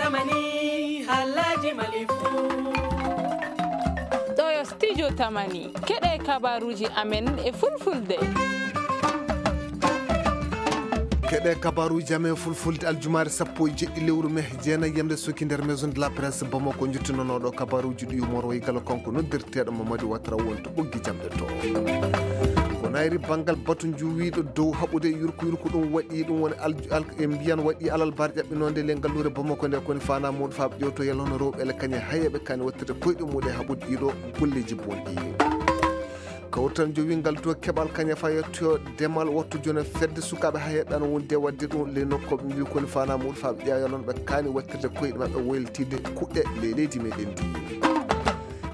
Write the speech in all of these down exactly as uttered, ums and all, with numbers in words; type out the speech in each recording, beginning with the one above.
Tamani, halaji malifu. Ɗo yo studio Tamani. Keɗe kabaruji amen e fulfulde. Keɗe kabaruji amen fulfulde aljumaare sappo e jeɗɗi lewru me jeenayi yamde suki nder maison de la presse Bamako, jottinonooɗo kabaruji ɗi yumoro e galo kanko noddirteeɗo Mamadou Ouattara wonto ɓoggi jamɗe to. Ko nayri banngal batu njuwiiɗo dow haɓude yurko yurko ɗum waɗi ɗum woni al-, al-, e mbiyan waɗi alal bar ƴaɓɓinoonde le ngalluure Bamako nde koni fana muɗo faaɓe ƴewto yalla hono rewɓe ele kañe hayeɓe kani wattirde koyɗe muɗe haɓude ɗiɗo golleji bonɗi. Kawtal jowingal to keɓal kaña fa yettoyo demal wattu jona fedde sukaaɓe hayeɓe ana wonde wadde ɗum le nokkoɓe mbi koni fana muɗo faaɓe ƴeewalon ɓe kani wattirde koyɗe maɓɓe waylitide kuɗɗe le leydi meɗen ndi.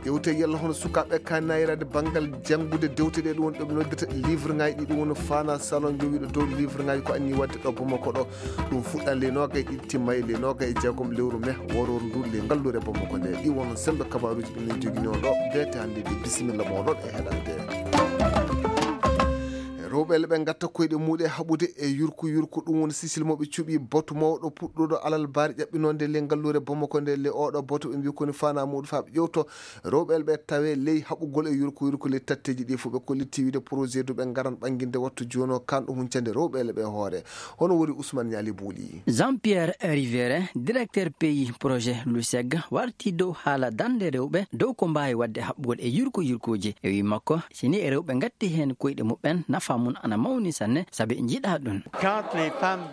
Ƴewte yalla hono sukaaɓe ka nayrade banngal janngude dewte ɗe ɗum woni ɗo ɓe noddirta livre ngaji ɗi ɗum woni fana salon jowiɗo dow livre ngaji ko anni wadde ɗo Bamako ɗo. Ɗum fuɗɗan le noga e ɗiɗi timma e le noga e jeegom lewru me woror ndu le ngalluure Bamako nde. Ɗi won sembe kabaruji ɓe min joginoo ɗo bete hannde ɗi bisimilla moɗon e heɗande. Rewɓe le ɓe gatta koyɗe muɗe haɓude e yurku yurku ɗum woni sisil mo ɓe cuɓi batu mawɗo puɗɗuɗo alal bari ƴaɓɓinonde le ngalluure Bamako nde le oɗo batu ɓe mbi koni fana muɗo fa ɓe ƴewto rewɓe ɓe tawe ley haɓugol e yurko yurko ley tatteji ɗi fof ɓe kolliti wiide projet du ɓe ngaran ɓanginde wattu jono kanɗo huncande rewɓe ɓe hoore. Hono woni Ousmane Niali Bouli. Jean-Pierre Rivere, directeur pays projet luseg, warti dow haala dande rewɓe dow ko mbaawi waɗde haɓɓugol e yurko yurkooji. E wi makko, sini e rewɓe ngatti heen koyɗe muɓɓen, nafa mum ana mawni sanne, sabi njiɗa ɗum.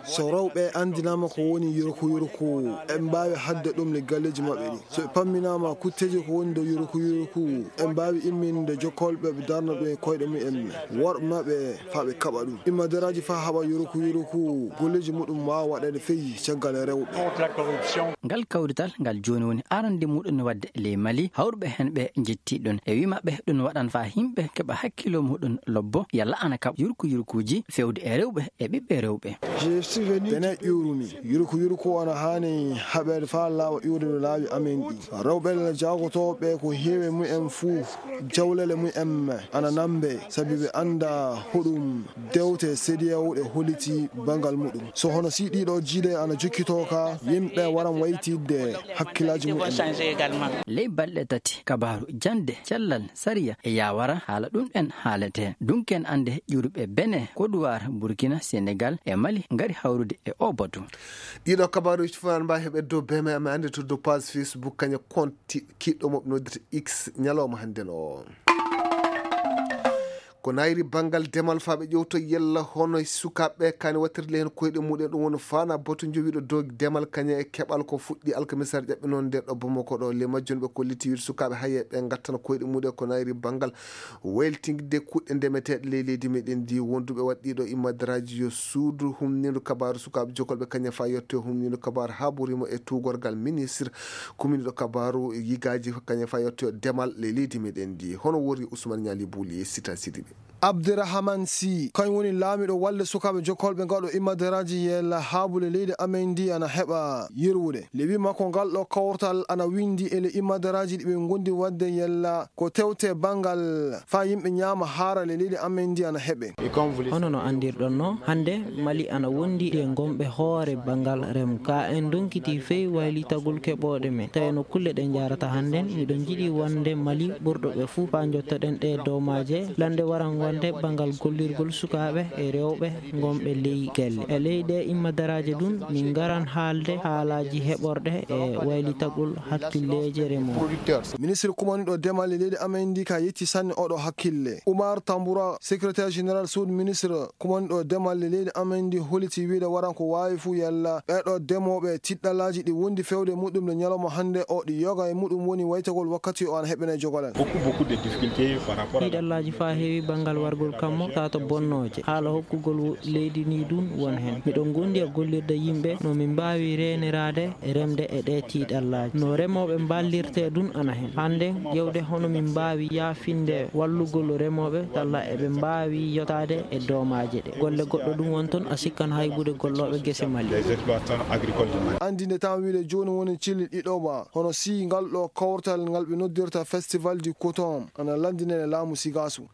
So rewɓe anndinaama ko woni yurko yurko, ɓe mbaawi haɗde ɗum le galleeji maɓɓe ɗi. So ɓe pamminaama kutteeji ko woni dow yurku yurku, ɓe mbaawi imminde jokkolɓe ɓe darna ɗum e koyɗe mumen. Worɓe maɓɓe faa ɓe kaɓa ɗum. Immadaraaji faa haɓa yurku yurku, golleeji muɗum waawa waɗeede feyi caggal rewɓe. Ngal kawrital ngal jooni woni arande muɗum waɗde ley Mali, hawruɓe heen ɓe njetti ɗum. E wi maɓɓe ɗum waɗan faa yimɓe keɓa hakkilo muɗum lobbo, yalla ana kaɓa yurku yurkuuji fewde e rewɓe e ɓiɓɓe rewɓe. Bene ƴuurumi, yurku yurku ana haani haɓeede faa laaɓa ƴuurude laawi amen ɗi. Rewɓe le jaagotooɓe ko heewi mumen fuu, jawlele mumen ana nambe, sabi ɓe annda hoɗum dewte C D A O ɗe holliti banngal muɗum. So hono si ɗiɗo jiile ana jokkitoo ka, yimɓe waran waytidde hakkillaaji mumen. Ley balɗe tati, kabaaru jannde, cellal, sariya e yaawara, haala ɗum en haalete. Dunken annde ƴuurɓe Bene, Kodowar, Burkina, Senegal e Mali ngari hawrude e o batu. Ɗiɗo kabaaruji fof an mbawi heɓe dow B M M annde to dow page Facebook kaña compte kiɗɗo mo ɓe noddata X ñalawma hannden o. Ko nayri banngal demal faa ɓe ƴewto yella hono sukaaɓe kani wattirde heen koyɗe muɗen ɗum woni fana boto jowiɗo dow demal kaña e keɓal ko fuɗɗi alkamisar ƴaɓɓe noon nde ɗo Bamako ɗo le majjum ɓe kolliti wiide sukaaɓe haye ɓe ngattana koyɗe muɗe ko nayri banngal wayltingde kuɗɗe ndemeteeɗe ley leydi meɗen ndi wonduɓe waɗɗiɗo immadaraaji yo suudu humnindu kabaaru sukaaɓe jokolɓe kaña faa yetto humnindu kabaaru haɓurimo e tuugorgal ministre kuminiɗo kabaaru yigaaji kaña faa yetto demal ley leydi meɗen ndi hono wori Ousmane Niali Bouli e Sita Sidiɓe. Abderrahman Sy kañum woni laamiɗo walde sukaaɓe jokkolɓe ngaɗo immadaraaji yella haabule leydi amen ndi ana heɓa yerwude le wi makko ngal ɗo kawrtal ana windi ele immadaraaji ɗi ɓe gondi wadde yella ko tewte banngal faa yimɓe ñaama haara le leydi amen ndi ana heɓe. Hono no anndirɗon no hannde Mali ana wondi e gomɓe hoore banngal rem ka en donkiti fey waylitagol keɓooɗe men tawi no kulle ɗe njarata hannden miɗo jiɗi wonde Mali ɓurɗo ɓe fuu faa njottoɗen ɗe doomaaje lande waran wonde banngal gollirgol sukaaɓe e rewɓe gonɓe ley galle e ley ɗe immadaraaje ɗum min ngaran haalde haalaaji heɓorɗe e waylitagol hakkilleeje remooɓe. Ministre kumaniɗo demal e leydi amen ndi ka yetti sanne oɗo hakkille. Umar Tambura, secrétaire général suudu ministre kumaniɗo demal e leydi amen ndi holliti wiide waran ko waawi fuu yalla ɓeeɗo demooɓe tiɗɗalaaji ɗi wondi fewde e muɗum nde ñalawma hannde o ɗi yoga e muɗum woni waytagol wakkati o ana heɓɓene jogolal. Tiɗɗallaaji faa heewi banngal wargol kammo taato bonnooje haala hokkugol leydi ndi ɗum won heen. Miɗo gondi e gollirde yimɓe no min mbaawi reeniraade remde e ɗee tiiɗallaaji. No remooɓe mballirtee ɗum ana heen. Hannde ƴeewde hono min mbaawi yaafinde wallugol remooɓe talla eɓe mbaawi yottaade e doomaaje ɗe. Golle goɗɗo ɗum won toon a sikkan haybude gollooɓe gese Mali. Anndinde tan wiide jooni woni cilli ɗiɗoɓa hono si ngal ɗo kawtal ngal ɓe noddirta Festival du Coton ana lanndinee laamu Sigaasu.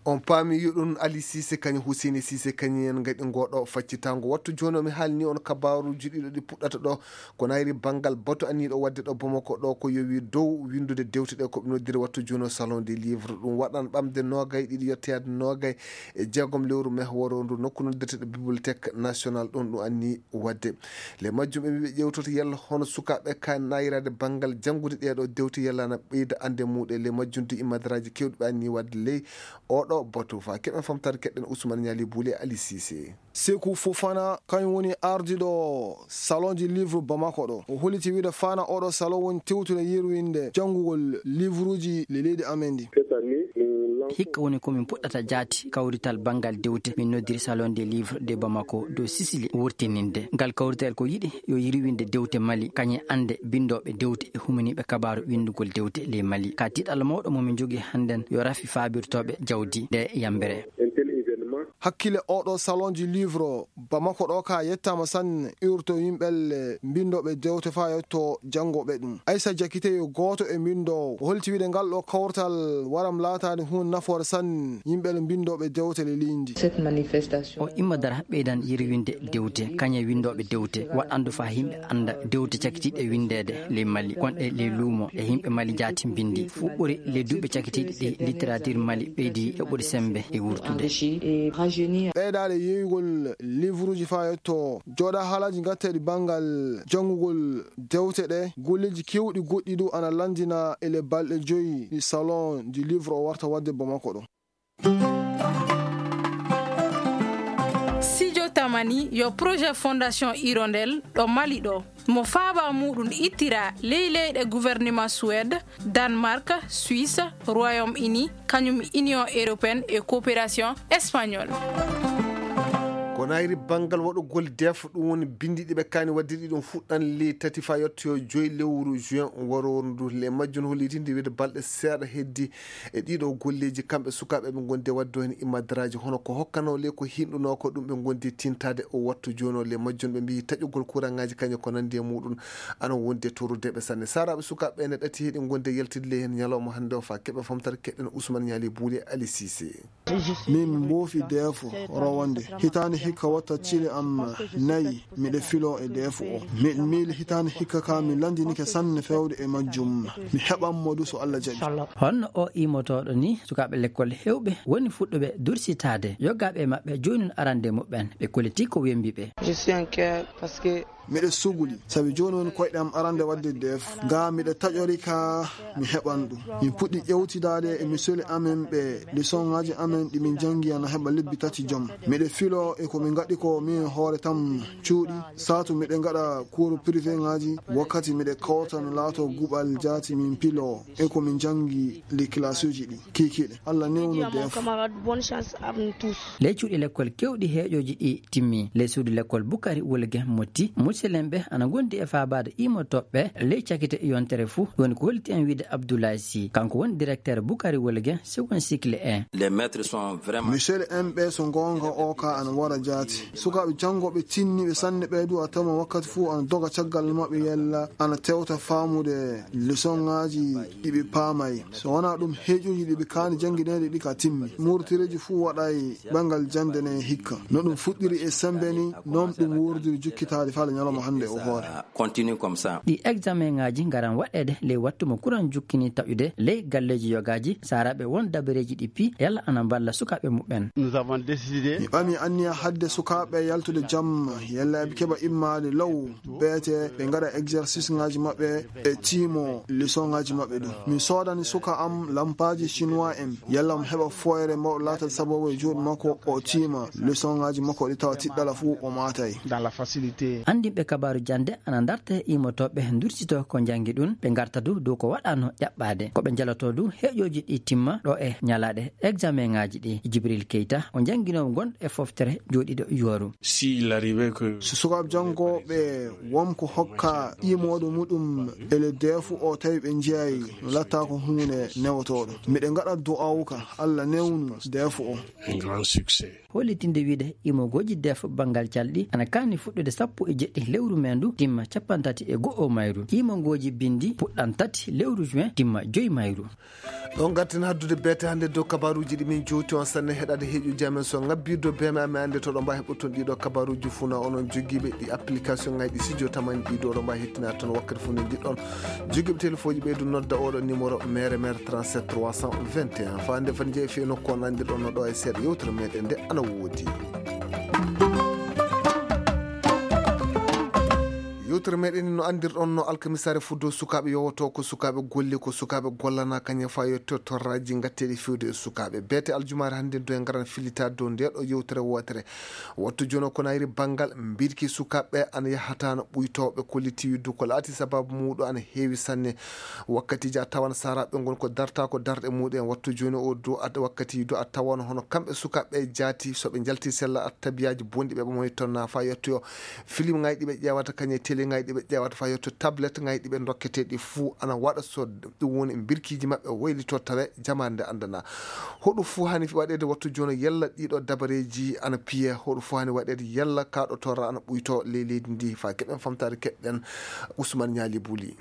On paami yuɗun Ali Sise kañum Huseyni Sise kañum en ngaɗi ngoo ɗoo faccitaango. Wattu jooni o mi haalni on kabaaruuji ɗiɗo ɗi puɗɗata ɗoo. Ko nayri banngal batu anniiɗo waɗde ɗo Bamako ɗoo ko yowi dow winndude dewte ɗe ko ɓe noddiri wattu jooni o Salon des Livres. Ɗum waɗan ɓamde noogay ɗiɗi yettoyaade noogay e jeegom lewru mehworo ndu nokku noddeteɗo Bibliothèque Nationale ɗum ɗum anni waɗde. Le majjum ɓe mbi ɓe ƴewtoto yalla hono sukaaɓe ka nayraade banngal janngude ɗee ɗoo dewte yalla ana ɓeyda annde muɗe. Le majjum du immadaraaji kewɗi ɓe anni waɗde ley oɗo batu. Fa keɓen famtare keɗɗen Ousmane Niali Bouli e Ali Sise. Sekou Fofana, kañum woni ardiiɗo Salon du Livre Bamako ɗo. O holliti wiide fana oɗo salon woni tewtude yirwinde janngugol livruuji le leydi amen ndi. Hikka woni ko min puɗɗata jaati kawrital banngal dewte. Min noddiri Salon des Livres de Bamako dow Sisili wurtininde. Ngal kawrital ko yiɗi yo yirwinde dewte Mali, kañum annde binndooɓe dewte e humaniiɓe kabaaru winndugol dewte ley Mali. Ka tiiɗalla mawɗo mo min njogii hannden yo rafi faabirtooɓe jawdi nde yambere. Hakkille oɗo Salon du Livre Bamako ɗo ka yettaama sanne, iwrto yimɓelle mbinndooɓe dewte faa yetto janngooɓe ɗum. Aissa Diakité yo gooto e mbinndoowo. O holti wiide ngal ɗo kawtal waram laataade huunde nafoore sanne yimɓelle mbinndooɓe dewte le leydi. O imma dara ɓeydan yirwinde dewte, kañe winndooɓe dewte, waɗandu faa yimɓe annda dewte cakitiiɗe winndeede ley Mali, gonɗe ley luumo e yimɓe Mali jaati mbinndi. Fuɗɗori le duuɓi cakitiiɗi ɗi littérature Mali ɓeydi yoɓude semmbe e wurtude. Ɓeydaade yeeyugol livruuji faa yetto jooɗa haalaaji ngatteeɗi banngal janngugol dewte ɗe, golleeji keewɗi goɗɗi du ana lanndina e le balɗe joyi ɗi Salon du Livre o warta waɗde Bamako ɗo. Sijo Tamani yo projet Fondation Hirondelle ɗo Mali ɗo. Mo faaba muɗum ittira ley leyɗe gouvernement Suède, Danemark, Suisse, Royaume-Uni, kañum Union Européenne e Coopération Espagnole. Ko nayri banngal waɗugol def ɗum woni binndi ɗi ɓe kaani waɗde ɗi ɗum fuɗɗan ley tati faa yettoyo joyi lewru juin warooru ndu. Le majjum hollitinde wiide balɗe seeɗa heddi e ɗiɗo golleeji kamɓe sukaaɓe ɓe ngondi e waɗde heen immadaraaji hono ko hokkanoo le ko hinɗunoo ko ɗum ɓe ngondi tintaade o wattu jooni o. Le majjum ɓe mbiyi taƴugol kuraŋaaji kañum ko nanndi e muɗum ana wondi e torudeeɓe sanne. Saaraaɓe sukaaɓe ɓe ne ɗati heɗi ngondi e yaltidde le heen ñalawma hannde o faa keɓe famtare keɗen Ousmane Ñaali Buuli e Ali Sise. Min mboofi deefo rowande hitaande hikka watta cile am nayi miɗe filo e deefo o. Miɗ miili hitaande hikka ka mi lanndinike sanne fewde e majjum. Mi heɓan mo du so Alla jaɓi. Honno o iimotooɗo ni sukaaɓe lekkol heewɓe woni fuɗɗuɓe dursitaade yogaaɓe maɓɓe joynun arande muɓɓen ɓe koliti ko wembi ɓe. Je suis en cœur parce que Miɗo suguli, sabi jooni woni koyɗe am arande waɗde def. Ga miɗo taƴori ka mi heɓan ɗum. Min puɗɗi ƴewtidaade e misoli amen ɓe lisonŋaaji amen ɗi min janngi ana heɓa lebbi tati jom. Miɗo filo e ko min ngaɗi ko min hoore tam cuuɗi. Saatu miɗo ngaɗa kuuru privé ŋaaji, wakkati miɗo kawta mi laato guɓal jaati min pilo e ko min janngi li kilasuuji ɗi. Kiikiiɗe. Alla newnu def. Ley cuuɗi lekkol kewɗi heeƴooji ɗi timmi. Ley suudu lekkol Bukari Wolge Motti, muselenɓe ana ngondi e faabaade iimotooɓe ley cakite yontere fuu. Woni ko holliti en wiide Abdoulaye Sy. Kanko woni directeur Bukari Wolge, second cycle en. Les maîtres sont vraiment Misel en ɓe so goonga o ka ana wara jaati. Sukaaɓe janngooɓe tinniiɓe sanne ɓe du a tama wakkati fuu ana doga caggal maɓɓe yalla ana tewta faamude lesonŋaaji ɗi ɓe paamay. So wonaa ɗum heeƴuuji ɗi ɓe kaani janngineede ɗi ka timmi. Muurtireeji fuu waɗay ɓangal jannde ne hikka. No ɗum fuɗɗiri e sembe ni, noon ɗum wuurdiri jukkitaade faa le ñalawma hannde o hoore. Continue comme ça. Ɗi examenŋaaji ngaran waɗeede ley wattu mo kuran jukkini taƴude ley galleeji yogaaji, saaraaɓe won dabareeji ɗi pii yalla ana mballa sukaaɓe muɓɓen. Nous avons décidé. Mi ɓami anniya hadde sukaaɓe yaltude jam, yalla eɓe keɓa immaade law, beete ɓe ngaɗa exercice ŋaaji maɓɓe e tiimo leçon ŋaaji maɓɓe ɗum. Mi soodani suka am lampaaji chinois en, yalla mo heɓa fooyre mawɗo laata sababu e juuɗe makko o tiima leçon ŋaaji makko ɗi tawa tiɗɗala fuu o maatay. Dans la facilité. Anndinɓe kabaaru jannde ana ndarta e iimotooɓe ndursito ko njanngi ɗum, ɓe ngarta du dow ko waɗaano ƴaɓɓaade. Ko ɓe njaloto du heeƴooji ɗi timma ɗo e ñalaaɗe examenŋaaji ɗi. Jibril Keita, o jannginoowo gonɗo e foftere jooɗiiɗo Yuwaru. S'il arrivait que So sukaaɓe janngooɓe won ko hokka iimooɗo muɗum e le deefu o tawi ɓe njiyay no latta ko huunde newotooɗo. Miɗe ngaɗa du'aawu ka Alla newnu deefu o. Un grand succès. Hollitinde wiide imogooji def banngal calɗi ana kaani fuɗɗude sappo e jeɗɗi lewru meendu dimma capanɗe tati e go'o mayru. Qiimangooji binndi puɗɗan tati lewru juin dimma joy mayru. Ɗon ngarten haddude beete hannde dow kabaruuji ɗi min jowti on sanne heɗaade heeƴuji amen so ngabbii dow beeme amen annde to ɗo mbaa heɓoton ɗiɗo kabaruuji fuu na onon jogiiɓe ɗi application ngaji ɗi sijo tamani ɗi dow ɗo mbaa hettina ton wakkati fuu nde njiɗɗon. Jogiiɓe telefooji ɓeydu nodda oɗo numéro mere mere trente-sept trois cent vingt et un. Faa nde fati jeeyi fii nokku on anndirɗon no ɗo e seeɗa yewtere meɗen nde ana woodi. Yewtere meɗen no anndirɗon no alkamisaare fuddo sukaaɓe yowotoo ko sukaaɓe golle ko sukaaɓe gollana kañe faa yetto torraaji ngatteeɗi fewde e sukaaɓe. Beete aljumaare hannde do e ngaran fillita dow nde ɗo yewtere wootere. Wattu jono ko nayri banngal mbirki sukaaɓe ana yahata no ɓuytooɓe kolliti yiddu ko laati sababu muuɗo ana heewi sanne. Wakkatiiji a tawan saaraaɓe ngon ko darta ko darɗe muuɗen wattu jooni o do a wakkatiiji do a tawan hono kamɓe sukaaɓe jaati so ɓe njalti sella a tabiyaaji bonɗi ɓe ɓamoytonna faa yettoyo film ngaji ɗi ɓe ƴeewata kañe télé ngaji ɗi ɓe ƴeewata faa yetto tablet ngaji ɗi ɓe dokketeeɗi fuu ana waɗa so ɗum woni mbirkiiji maɓɓe waylito tawe jamaande anndana hoɗum fuu hani waɗeede wattu jooni yalla ɗiɗo dabareeji ana piye hoɗum fuu hani waɗeede yalla kaaɗo torra ana ɓuyto ley leydi ndi faa keɓen famtaade keɓɗen. Usman Ñaali Buli.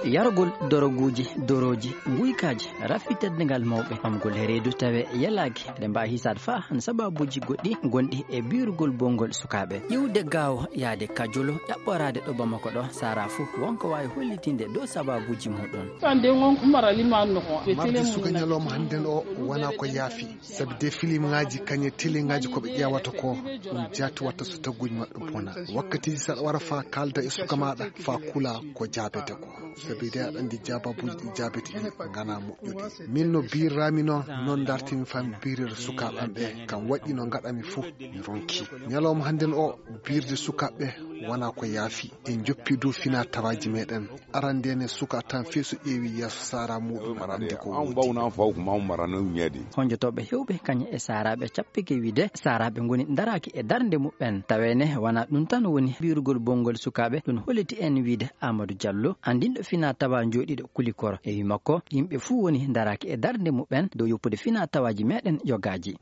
Yargol doroguuji, dorooji, nguykaaji, rafi teddungal mawɓe, ɓamgol e reedu tawe yalaaki, eɗen mbaawi hisaade faa han sababuuji goɗɗi gonɗi e biirugol bonngol sukaaɓe. Iwde gaawo, yahde Kajolo, ƴaɓɓoraade ɗo Bamako ɗo, saaraa fuu, won ko waawi hollitinde dow sababuuji muuɗum. Sande ngon ko marali man no ko. Marde suka ñalawma hannden o wonaa ko yaafi. Sabi de filiimŋaaji kañe télé ŋaaji ko ɓe ƴeewata ko ɗum jaati watta so tagguuji maɓɓe bona. Wakkatiiji so aɗa wara faa kaalda e suka maaɗa faa kula ko jaabete ko. Sabi de aɗa anndi jaababuuji ɗi jaabete ɗi nganaa moƴƴuɗi. Min no biirraami noon, noon ndartimi faa mi biirira sukaaɓe am ɓe, kam waɗi no ngaɗami fuu mi ronki. Ñalawma hannden o biirde sukaaɓe wonaa ko yaafi. En njoppi dow finaa tawaaji meɗen. Arande ne suka tan fii so ƴeewi yeeso saara muɗum aɗa andi ko woni. Honjotooɓe hewɓe kañe e saaraaɓe cappike wiide saaraaɓe ngoni daraaki e darnde muɓɓen. Tawene wona ɗum tan woni biirugol bonngol sukaaɓe ɗum holliti en wiide Amadou Diallo andinɗo fina tawa jooɗiiɗo Kulikoro e wi makko yimɓe fuu woni daraaki e darnde muɓɓen dow yoppude fina tawaaji meɗen jogaaji.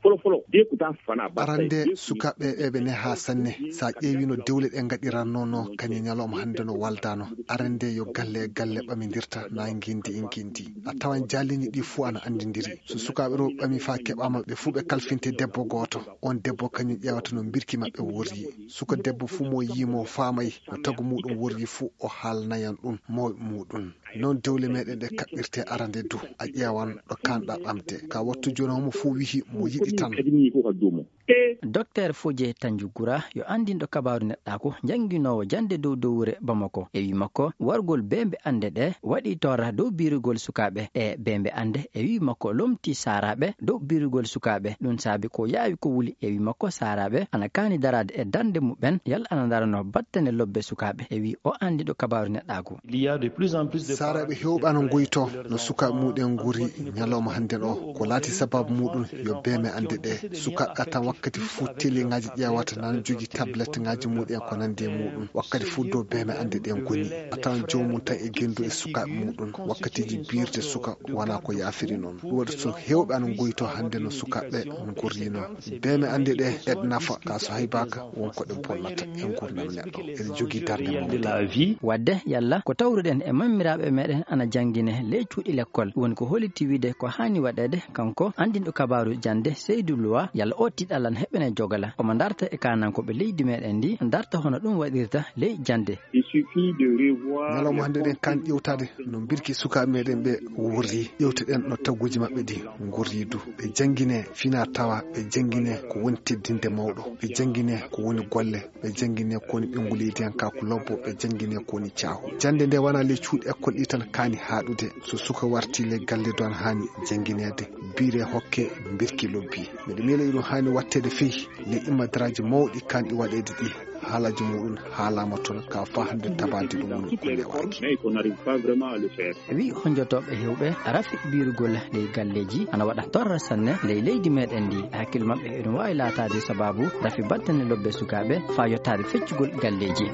Arande sukaaɓe eɓe neha sanne. Sa ƴeewi no dewle ɗe ngaɗiranno no kañe ñalawma hannde no waldano. Arande yo galle e galle ɓamindirta na ngindi e ngindi. A tawan jaalini ɗi fuu ana anndindiri. So sukaaɓe rewɓe ɓami faa keɓaama ɓe fuu ɓe kalfinte debbo gooto. On debbo kañum ƴeewata no mbirki maɓɓe worri. Suka debbo fuu mo yii mo faamay no tagu muɗum worri fuu o haalnayan ɗum mawɓe muɗum. Noon dewle meɗen ɗe kaɓɓirte arande du a ƴeewan ɗo kanɗa ɓamde. Ka wattu jooni homo fuu wihi mo yiɗi tan. Docteur Fodje Tanjugura yo anndinɗo kabaaru neɗɗaaku jannginoowo jannde dow dowre Bamako e wi makko wargol beembe annde ɗe waɗi torra dow biirugol sukaaɓe e beembe annde e wi makko lomti saaraaɓe dow biirugol sukaaɓe ɗum saabi ko yaawi ko wuli e wi makko saaraaɓe ana kaani daraade e darnde muɓɓen yalla ana ndarano battane lobbe sukaaɓe e wi o anndinɗo kabaaru neɗɗaaku. Saaraaɓe hewɓe ana ngoyto no sukaaɓe muɗen nguri ñalawma hannden o ko laati sababu muɗum yo beeme annde ɗe sukaaɓe atan wakkati fuu télé ngaji ƴeewata nan jogi tablette ngaji muɗen ko nandi e muɗum wakkati fuu dow beeme annde ɗe ngoni atan joomum tan e gendu e sukaaɓe muɗum wakkatiji biirde suka wona ko yaafiri noon ɗum waɗi so hewɓe ana ngoyto hannde no sukaaɓe ngurrino. Beeme annde ɗe eɗe nafa ka so haybaka won ko ɗe bonnata e ngurdam neɗɗo. Eɗe jogii darnde mawde. Wadde yalla ko tawruɗen e mammiraaɓe meɗen ana janngine ley cuuɗi lekkol woni ko holiti wiide ko haani waɗeede kanko anndinɗo kabaaru jannde Seydou Loua yalla o tiɗalan heɓene jogala omo ndarta e kaanankooɓe leydi meɗen ndi ndarta hono ɗum waɗirta ley jannde. Ñalawma hannde ɗen kan ƴewtaade no mbirki sukaaɓe meɗen ɓe worri ƴewteɗen no tagguuji maɓɓe ɗi ngorri du ɓe janngine fina tawa ɓe janngine ko woni teddinde mawɗo ɓe janngine ko woni golle ɓe janngine ko woni ɓengu leydiyankaaku lobbo ɓe janngine ko woni caahu. Jannde nde wona ley cuuɗi ekkol ɗi tan kaani haaɗude so suka warti ley galle du ana haani janngineede biire hokke mbirki lobbi. Miɗo miila iɗum haani watteede fii ley immadaraaji mawɗi kanɗi waɗeede ɗi. Haalaaji muɗum haalaama toon ka faa hannde tabaade ɗum woni ko newaaki. Wi honjotooɓe hewɓe rafi biirugol ley galleeji ana waɗa torra sanne ley leydi meɗen ndi hakkille maɓɓe eɗum waawi laataade sababu rafi battane lobbe sukaaɓe faa yottaade feccugol galleeji.